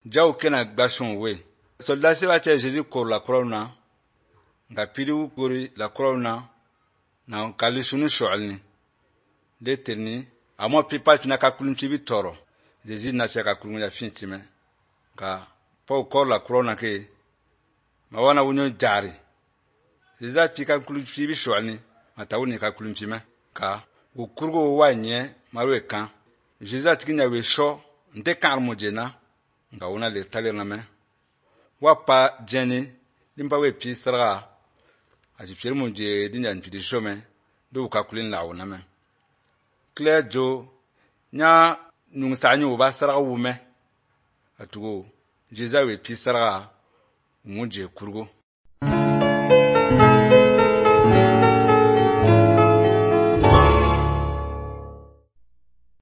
Jaw kena gbashon we. Soldat se ba che Jésus kor la croix na. Nga pidu kori la croix na kalisunu shoalni. Leterni amo pipa tuna ka kulunchi bi toro. Jésus na che ka kulunchi ya finchime. Ka pa kor la croix na ke ma wana wunyo jari. Jésus a pi ka kulunchi bi shoalni mata wuni ka kulunchi me. Ka ukurgo wa nye marwe kan. Jésus a tikinya we sho nte kan mojena nga wona le taler na me. Wapa jeni limpa we pi sarga aji fier mo je dinya nti shome do ka kulin la wona me. Claire jo nya nung sa nyu ba sarga wume atugo Jésus we pi sarga mo je kurgo.